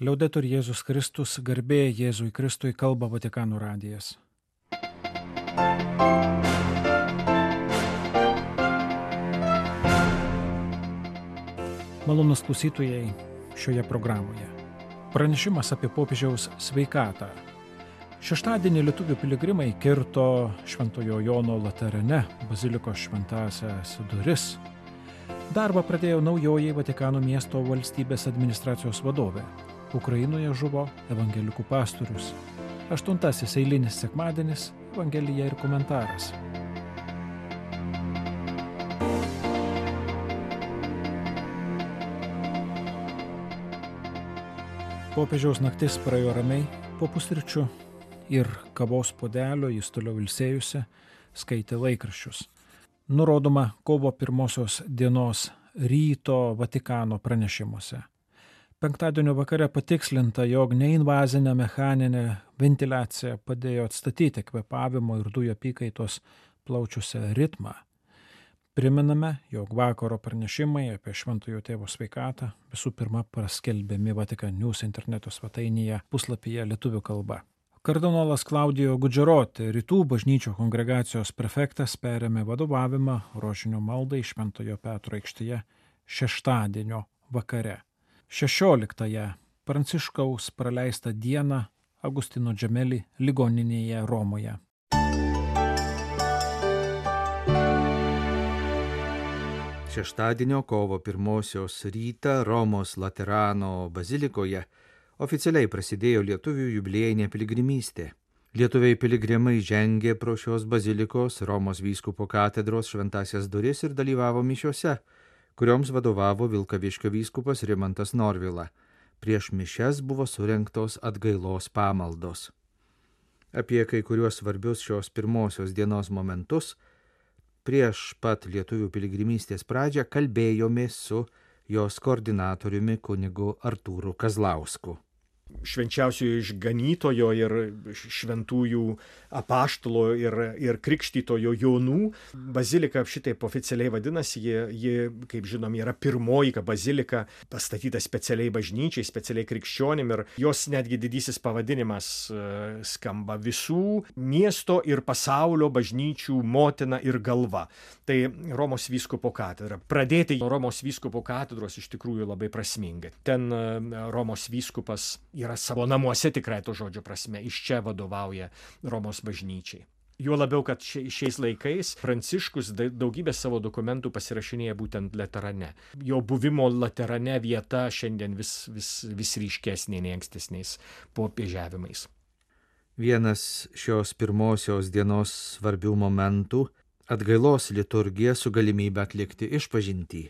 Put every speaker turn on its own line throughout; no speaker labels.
Liaudetur Jėzus Kristus, garbė Jėzui Kristui, kalba Vatikano radijas. Malonūs klausytojai šioje programoje. Pranešimas apie popiežiaus sveikatą. Šeštadienį lietuvių piligrimai kirto Šventojo Jono Laterane bazilikos šventąsias duris. Darbą pradėjo naujoji Vatikano miesto valstybės administracijos vadovė. Ukrainoje žuvo evangelikų pastorius. 8 eilinis sekmadienis, evangelija ir komentaras. Popiežiaus naktis praėjo ramiai, po pusryčių ir kavos puodelio jis toliau ilsėjusi, skaitė laikraščius. Nurodoma kovo 1 dienos ryto Vatikano pranešimuose. Penktadienio vakare patikslinta, jog neinvazinė mechaninė ventiliacija padėjo atstatyti kvėpavimo ir dujų apykaitos plaučiuose ritmą. Priminame, jog vakaro pranešimai apie Šventojo Tėvo sveikatą visų pirma paskelbiami Vatikan News interneto svetainėje puslapyje lietuvių kalba. Kardinolas Klaudijo Gudžeroti, Rytų bažnyčių kongregacijos prefektas, perėmė vadovavimą rožinio maldai Šventojo Petro aikštėje šeštadienio vakare. 16-ąją Pranciškaus praleistą dieną Agustino Džemeli ligoninėje Romoje.
Šeštadienio kovo 1 rytą Romos Laterano bazilikoje oficialiai prasidėjo lietuvių jubiliejinė piligrimystė. Lietuviai piligrimai žengė pro šios bazilikos Romos vyskupo katedros šventąsias duris ir dalyvavo mišiose, kurioms vadovavo Vilkaviškio vyskupas Rimantas Norvila. Prieš mišias buvo surengtos atgailos pamaldos. Apie kai kuriuos svarbius šios pirmosios dienos momentus prieš pat lietuvių piligrimystės pradžią kalbėjomės su jos koordinatoriumi kunigu Artūru Kazlausku.
Švenčiausiojo išganytojo ir šventųjų apaštalo ir krikštytojo Jonų bazilika šitaip oficialiai vadinasi. Ji, kaip žinom, yra pirmoji bazilika pastatyta specialiai bažnyčiai, specialiai krikščionim, ir jos netgi didysis pavadinimas skamba visų miesto ir pasaulio bažnyčių motina ir galva. Tai Romos vyskupo katedra. Pradėti Romos vyskupo katedros iš tikrųjų labai prasmingai. Ten Romos vyskupas yra savo namuose tikrai to žodžio prasme, iš čia vadovauja Romos bažnyčiai. Juo labiau, kad šiais laikais Pranciškus daugybę savo dokumentų pasirašinėja būtent Laterane. Jo buvimo Laterane vieta šiandien vis ryškesnė nei ankstesniais popiežiavimais.
Vienas šios pirmosios dienos svarbių momentų – atgailos liturgija su galimybė atlikti išpažintį.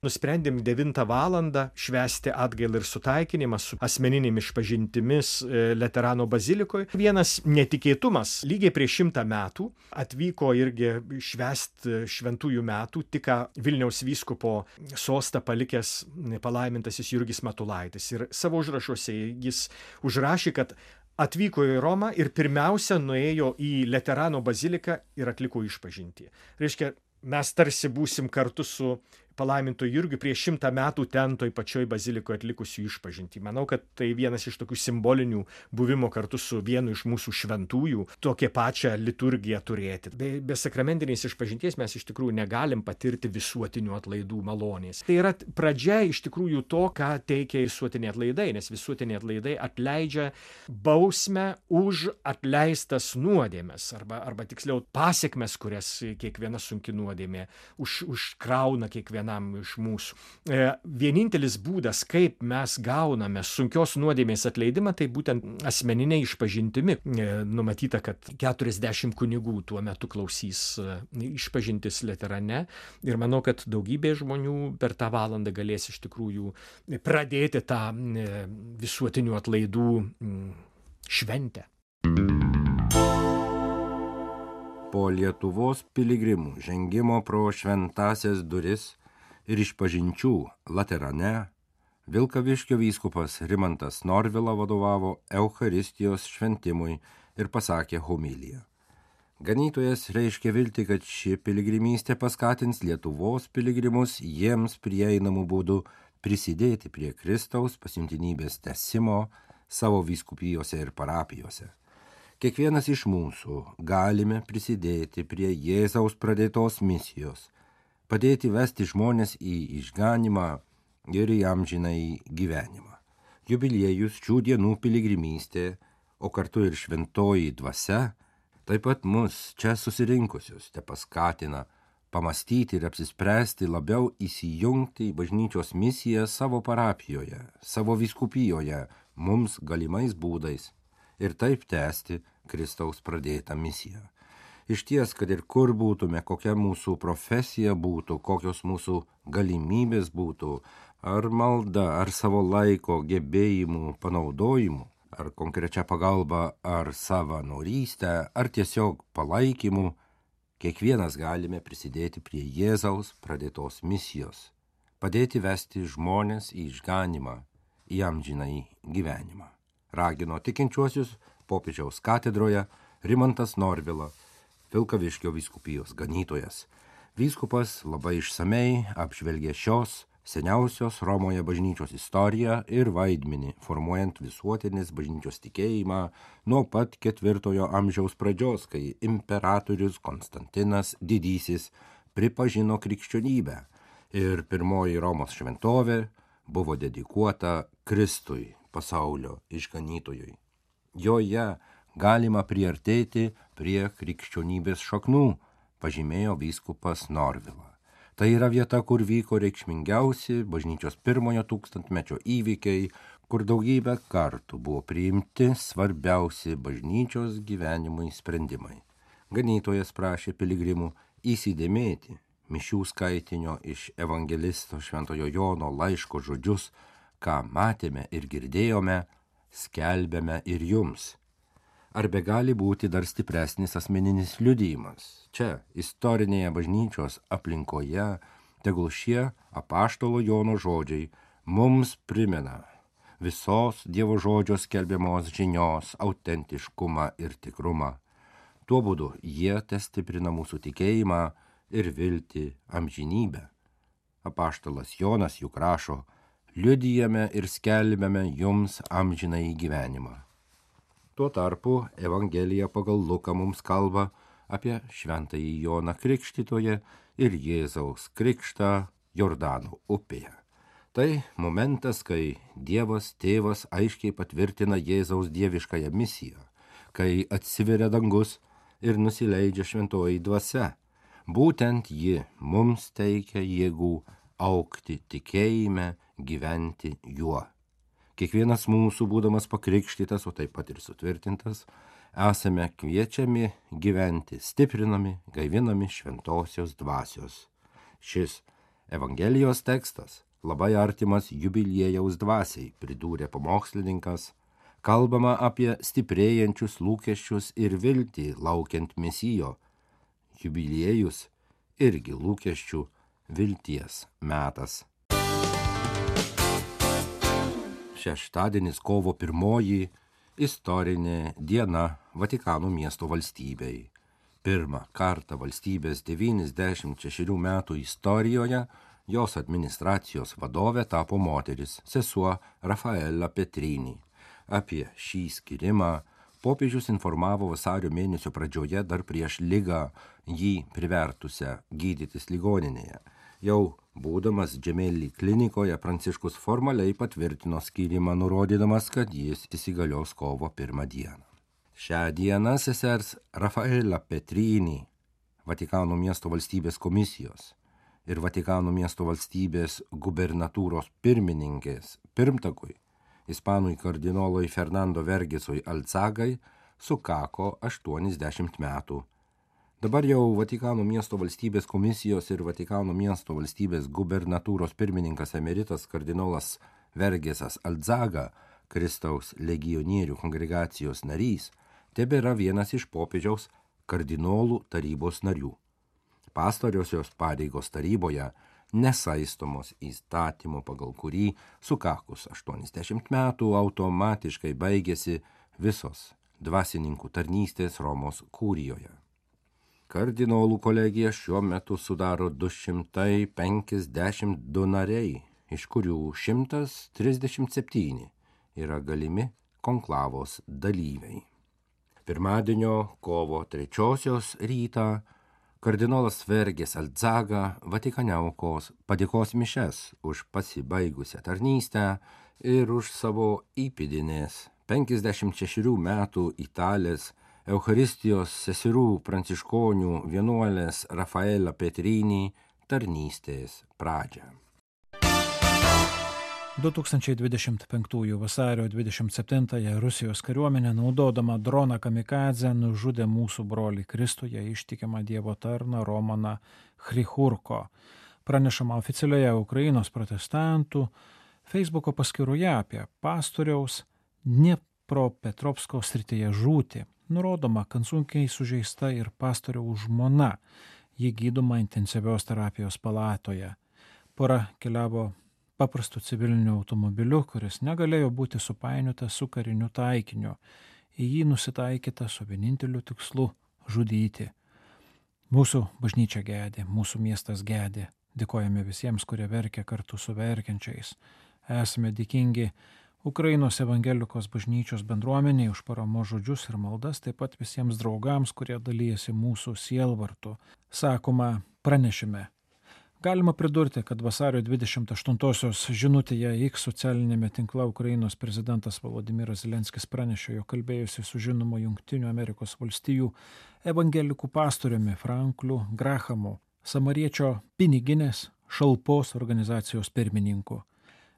Nusprendėm 9 valandą švęsti atgailą ir sutaikinimą su asmeninėmis išpažintimis Laterano bazilikoje. Vienas netikėtumas, lygiai prieš 100 metų atvyko irgi švęsti šventųjų metų tik Vilniaus vyskupo sostą palikęs palaimintasis Jurgis Matulaitis. Ir savo užrašuose jis užrašė, kad atvyko į Romą ir pirmiausia nuėjo į Laterano baziliką ir atliko išpažintį. Reiškia, mes tarsi būsim kartu su palaiminto Jurgiu prieš 100 metų ten toj pačioj bazilikoje atlikusių išpažintį. Manau, kad tai vienas iš tokių simbolinių buvimo kartu su vienu iš mūsų šventųjų tokią pačią liturgiją turėti. Be sakramentinės išpažinties mes iš tikrųjų negalim patirti visuotinių atlaidų malonės. Tai yra pradžia iš tikrųjų to, ką teikia visuotiniai atlaidai, nes visuotiniai atlaidai atleidžia bausmę už atleistas nuodėmes, arba tiksliau pasiekmes, kurias kiekviena sunki nuodėmė užkrauna kiekvienam iš mūsų. Vienintelis būdas, kaip mes gauname sunkios nuodėmės atleidimą, tai būtent asmeninė išpažintimi. Numatyta, kad 40 kunigų tuo metu klausys išpažintis Laterane, ir manau, kad daugybė žmonių per tą valandą galės iš tikrųjų pradėti tą visuotinių atlaidų šventę.
Po Lietuvos piligrimų žengimo pro šventąsias duris ir išpažinčių Laterane, Vilkaviškio vyskupas Rimantas Norvila vadovavo Eucharistijos šventimui ir pasakė homiliją. Ganytojas reiškia viltį, kad ši piligrimystė paskatins Lietuvos piligrimus jiems prieinamų būdų prisidėti prie Kristaus pasiuntinybės tęsimo savo vyskupijose ir parapijose. Kiekvienas iš mūsų galime prisidėti prie Jėzaus pradėtos misijos, padėti vesti žmonės į išganimą ir į amžinąjį gyvenimą. Jubiliejus, šių dienų piligrimystė, o kartu ir šventoji dvasia, taip pat mus čia susirinkusius tepaskatina pamastyti ir apsispręsti labiau įsijungti į bažnyčios misiją savo parapijoje, savo vyskupijoje, mums galimais būdais ir taip tęsti Kristaus pradėtą misiją. Iš ties, kad ir kur būtume, kokia mūsų profesija būtų, kokios mūsų galimybės būtų, ar malda, ar savo laiko gebėjimų panaudojimu, ar konkrečia pagalba, ar savanorystę, ar tiesiog palaikymu, kiekvienas galime prisidėti prie Jėzaus pradėtos misijos, padėti vesti žmonės į išganimą, į amžinąjį gyvenimą. Ragino tikinčiuosius popiežiaus katedroje Rimantas Norvila, Vilkaviškio vyskupijos ganytojas. Vyskupas labai išsamei apžvelgė šios seniausios Romoje bažnyčios istoriją ir vaidmenį, formuojant visuotinės bažnyčios tikėjimą nuo pat 4 amžiaus pradžios, kai imperatorius Konstantinas Didysis pripažino krikščionybę ir pirmoji Romos šventovė buvo dedikuota Kristui, pasaulio išganytojui. Joje galima priartėti prie krikščionybės šaknų, pažymėjo vyskupas Norvila. Tai yra vieta, kur vyko reikšmingiausi bažnyčios pirmojo tūkstantmečio įvykiai, kur daugybę kartų buvo priimti svarbiausi bažnyčios gyvenimui sprendimai. Ganytojas prašė piligrimų įsidėmėti mišių skaitinio iš evangelisto Šventojo Jono laiško žodžius, ką matėme ir girdėjome, skelbėme ir jums. Ar begali būti dar stipresnis asmeninis liudijimas? Čia, istorinėje bažnyčios aplinkoje, tegul šie apaštalo Jono žodžiai mums primena visos Dievo žodžio skelbiamos žinios autentiškumą ir tikrumą. Tuo būdu jie testiprina mūsų tikėjimą ir viltį amžinybę. Apaštalas Jonas juk rašo: liudijame ir skelbiame jums amžinąjį gyvenimą. Tuo tarpu Evangelija pagal Luką mums kalba apie šventąjį Joną Krikštytoją ir Jėzaus krikštą Jordano upėje. Tai momentas, kai Dievas Tėvas aiškiai patvirtina Jėzaus dieviškąją misiją, kai atsiveria dangus ir nusileidžia šventoji dvasia. Būtent ji mums teikia jėgų augti tikėjime, gyventi juo. Kiekvienas mūsų, būdamas pakrikštytas, o taip pat ir sutvirtintas, esame kviečiami gyventi, stiprinami, gaivinami šventosios dvasios. Šis Evangelijos tekstas labai artimas jubiliejaus dvasiai, pridūrė pamokslininkas. Kalbama apie stiprėjančius lūkesčius ir viltį laukiant mesijo. Jubiliejus irgi lūkesčių vilties metas. Šeštadienis kovo 1 istorinė diena Vatikano miesto valstybei. Pirmą kartą valstybės 96 metų istorijoje jos administracijos vadovė tapo moteris, sesuo Rafaela Petrini. Apie šį skirimą popiežius informavo vasario mėnesio pradžioje dar prieš ligą jį privertusią gydytis ligoninėje. Jau būdamas Džemeli klinikoje, Pranciškus formaliai patvirtino skyrimą, nurodydamas, kad jis įsigalios kovo 1 dieną. Šią dieną sesers Rafaela Petrini, Vatikano miesto valstybės komisijos ir Vatikano miesto valstybės gubernatūros pirmininkės pirmtakui, ispanui kardinolui Fernando Vergesui Alzagai, sukako 80 metų. Dabar jau Vatikano miesto valstybės komisijos ir Vatikano miesto valstybės gubernatūros pirmininkas emeritas kardinolas Vergesas Alzaga, Kristaus legionierių kongregacijos narys, tebėra vienas iš popiežiaus kardinolų tarybos narių. Pastoriosios pareigos taryboje nesaistomos įstatymo, pagal kurį sukakus 80 metų automatiškai baigėsi visos dvasininkų tarnystės Romos kūrijoje. Kardinolų kolegija šiuo metu sudaro 252 nariai iš kurių 137 yra galimi konklavos dalyviai. Pirmadienio kovo 3 rytą kardinolas Vergės Aldzaga Vatikane aukos padėkos mišias už pasibaigusią tarnystę ir už savo įpėdinės 56 metų italės Eucharistijos seserų pranciškonių vienuolės Rafaela Petrini tarnystės pradžią.
2025 vasario 27 Rusijos kariuomenė, naudodama droną kamikadzę, nužudė mūsų brolį Kristuje ištikimą Dievo tarną Romaną Chrichurko. Pranešama oficialioje Ukrainos protestantų Facebooko paskyroje apie pastoriaus Dniepropetrovsko srityje žūtį. Nurodoma, kad sunkiai sužeista ir pastoriaus žmona. Ji gydoma intensyvios terapijos palatoje. Pora keliavo paprastu civiliniu automobiliu, kuris negalėjo būti supainiotas su kariniu taikiniu. Į jį nusitaikyta su vieninteliu tikslu – žudyti. Mūsų bažnyčia gedi, mūsų miestas gedi. Dėkojame visiems, kurie verkia kartu su verkiančiais. Esame dėkingi Ukrainos evangelikos bažnyčios bendruomeniai už paramos žodžius ir maldas, taip pat visiems draugams, kurie dalyjasi mūsų sielvartu. Sakoma pranešime. Galima pridurti, kad vasario 28-osios žinutėje X socialinėme tinkle Ukrainos prezidentas Volodymyras Zelenskis pranešė, jog kalbėjusi su žinomu Jungtinių Amerikos valstijų evangelikų pastoriumi Frankliu Grahamu, samariečio piniginės šalpos organizacijos pirmininku.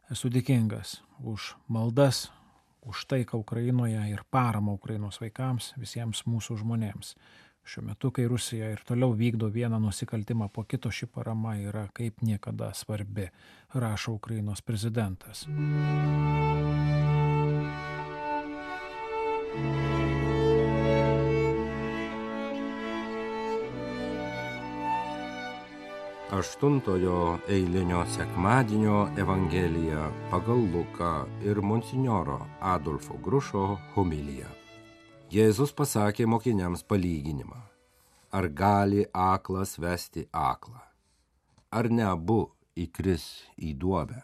Esu dėkingas už maldas, už taiką Ukrainoje ir paramą Ukrainos vaikams, visiems mūsų žmonėms. Šiuo metu, kai Rusija ir toliau vykdo vieną nusikaltimą po kito, ši parama yra kaip niekada svarbi, rašo Ukrainos prezidentas.
Aštuntojo eilinio sekmadienio Evangelija pagal Luką ir monsinjoro Adolfo Grušo homiliją. Jėzus pasakė mokiniams palyginimą. Ar gali aklas vesti aklą? Ar ne abu įkris į duobę?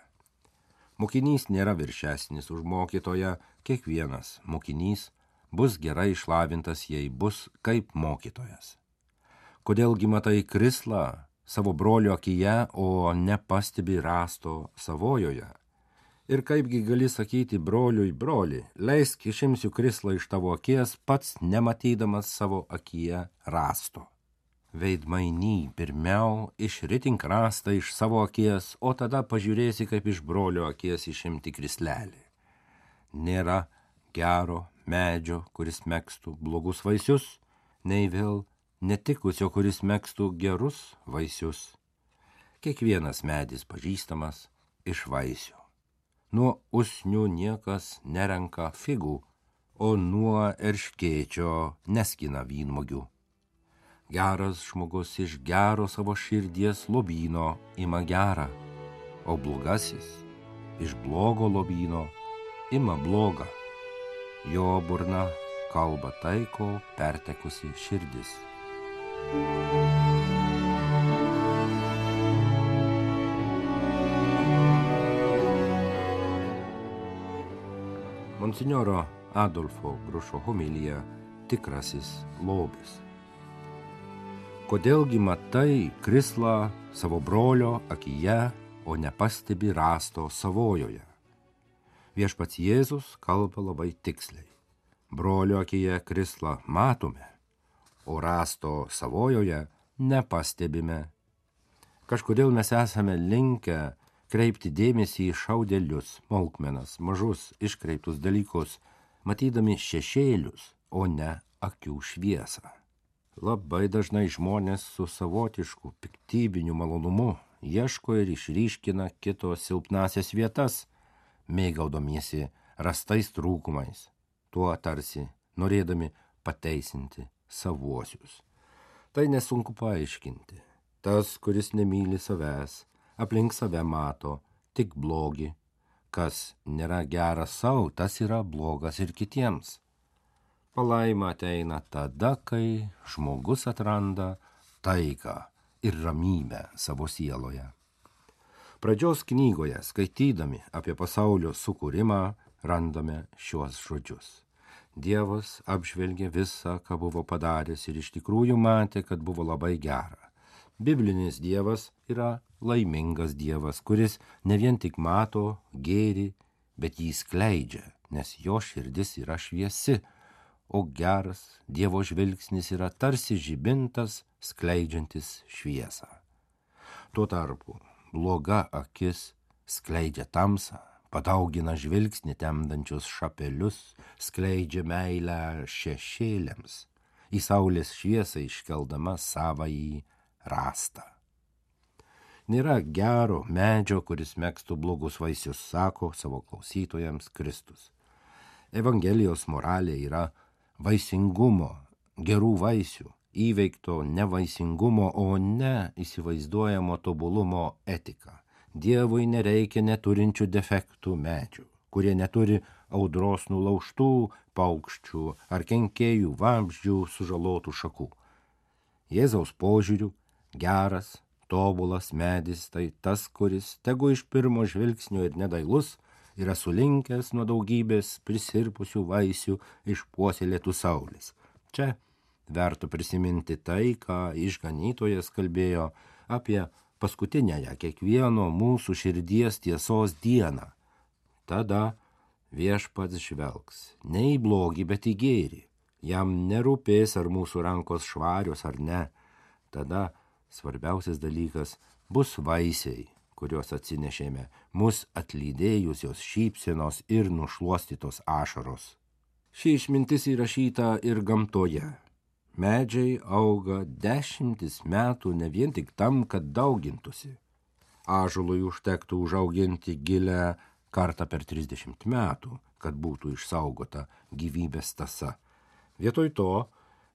Mokinys nėra viršesnis už mokytoją, kiekvienas mokinys bus gerai išlavintas, jei bus kaip mokytojas. Kodėlgi matai krislą savo brolio akyje, o nepastebi rąsto savojoje? Ir kaipgi gali sakyti broliui, broli, leisk išimsiu krislą iš tavo akies, pats nematydamas savo akyje rąsto. Veidmainy, pirmiau išritink rąstą iš savo akies, o tada pažiūrėsi, kaip iš brolio akies išimti krislelį. Nėra gero medžio, kuris megztų blogus vaisius, nei vėl netikusio, kuris megztų gerus vaisius. Kiekvienas medis pažįstamas iš vaisių. Nuo usnių niekas nerenka figų, o nuo erškėčio neskina vynmėgių. Geras žmogus iš gero savo širdies lobyno ima gerą, o blogasis iš blogo lobyno ima blogą. Jo burna kalba tai, ko pertekusi širdis. Monsinjoro Adolfo Grušo homilija tikrasis lobis. Kodėlgi matai krislą savo brolio akyje, o nepastebi rąsto savojoje? Viešpats Jėzus kalba labai tiksliai. Brolio akyje krislą matome, o rąsto savojoje nepastebime. Kažkodėl mes esame linkę kreipti dėmesį į šaudelius, smulkmenas, mažus, iškreiptus dalykus, matydami šešėlius, o ne akių šviesą. Labai dažnai žmonės su savotišku piktybiniu malonumu ieško ir išryškina kito silpnasias vietas, mėgaudomiesi rastais trūkumais, tuo tarsi norėdami pateisinti savuosius. Tai nesunku paaiškinti. Tas, kuris nemyli savęs, aplink save mato tik blogį. Kas nėra geras savo, tas yra blogas ir kitiems. Palaima ateina tada, kai žmogus atranda taiką ir ramybę savo sieloje. Pradžios knygoje, skaitydami apie pasaulio sukūrimą, randame šiuos žodžius. Dievas apžvelgė visą, ką buvo padaręs ir iš tikrųjų matė, kad buvo labai gera. Biblinis Dievas yra laimingas Dievas, kuris ne vien tik mato gėrį, bet jį skleidžia, nes jo širdis yra šviesi, o geras Dievo žvilgsnis yra tarsi žibintas skleidžiantis šviesą. Tuo tarpu bloga akis skleidžia tamsą, padaugina žvilgsnį temdančius šapelius, skleidžia meilę šešėliams, į saulės šviesą iškeldama savąjį rastą. Nėra gero medžio, kuris megztų blogus vaisius, sako savo klausytojams Kristus. Evangelijos moralė yra vaisingumo, gerų vaisių, įveikto nevaisingumo, o ne įsivaizduojamo tobulumo etika. Dievui nereikia neturinčių defektų medžių, kurie neturi audros nulaužtų paukščių ar kenkėjų vabzdžių sužalotų šakų. Jėzaus požiūriu geras, tobulas medis tai tas, kuris, tegu iš pirmo žvilgsnio ir nedailus, yra sulinkęs nuo daugybės prisirpusių vaisių išpuoselėtų saulės. Čia verta prisiminti tai, ką išganytojas kalbėjo apie paskutinėje kiekvieno mūsų širdies tiesos dieną. Tada viešpats žvelgs ne į blogį, bet į gėrį. Jam nerūpės, ar mūsų rankos švarios ar ne. Tada svarbiausias dalykas bus vaisiai, kuriuos atsinešėme, mus atlydėjusios šypsenos ir nušluostytos ašaros. Ši išmintis įrašyta ir gamtoje. Medžiai auga 10 metų ne vien tik tam, kad daugintųsi. Ąžuolui užtektų užauginti gilę kartą per 30 metų, kad būtų išsaugota gyvybės tąsa. Vietoj to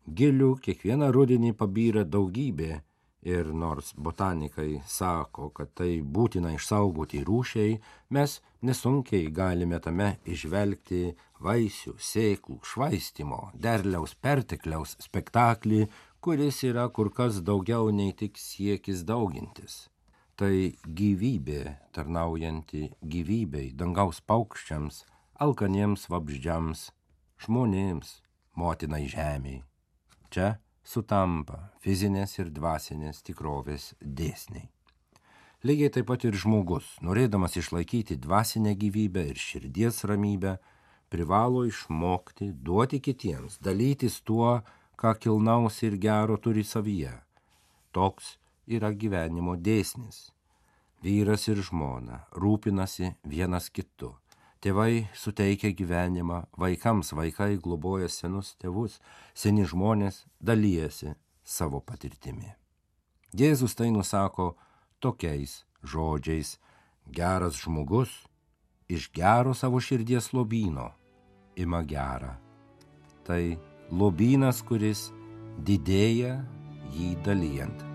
gilių kiekvieną rudenį pabyra daugybė ir nors botanikai sako, kad tai būtina išsaugoti rūšiai, mes nesunkiai galime tame išvelgti vaisių, sėklų, švaistymo, derliaus pertekliaus spektaklį, kuris yra kur kas daugiau nei tik siekis daugintis. Tai gyvybė tarnaujanti gyvybei, dangaus paukščiams, alkaniems vabzdžiams, žmonėms, motinai žemei. Čia sutampa fizinės ir dvasinės tikrovės dėsniai. Lygiai taip pat ir žmogus, norėdamas išlaikyti dvasinę gyvybę ir širdies ramybę, privalo išmokti duoti kitiems, dalytis tuo, ką kilnaus ir gero turi savyje. Toks yra gyvenimo dėsnis. Vyras ir žmona rūpinasi vienas kitu. Tėvai suteikia gyvenimą vaikams, vaikai globoja senus tėvus, seni žmonės dalijasi savo patirtimi. Jėzus tai nusako tokiais žodžiais: geras žmogus iš gero savo širdies lobyno ima gerą. Tai lobynas, kuris didėja jį dalijant.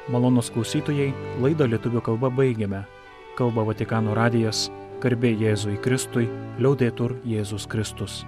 Malonūs klausytojai, laidą lietuvių kalba baigiame. Kalba Vatikano radijas, garbė Jėzui Kristui, liaudetur Jėzus Kristus.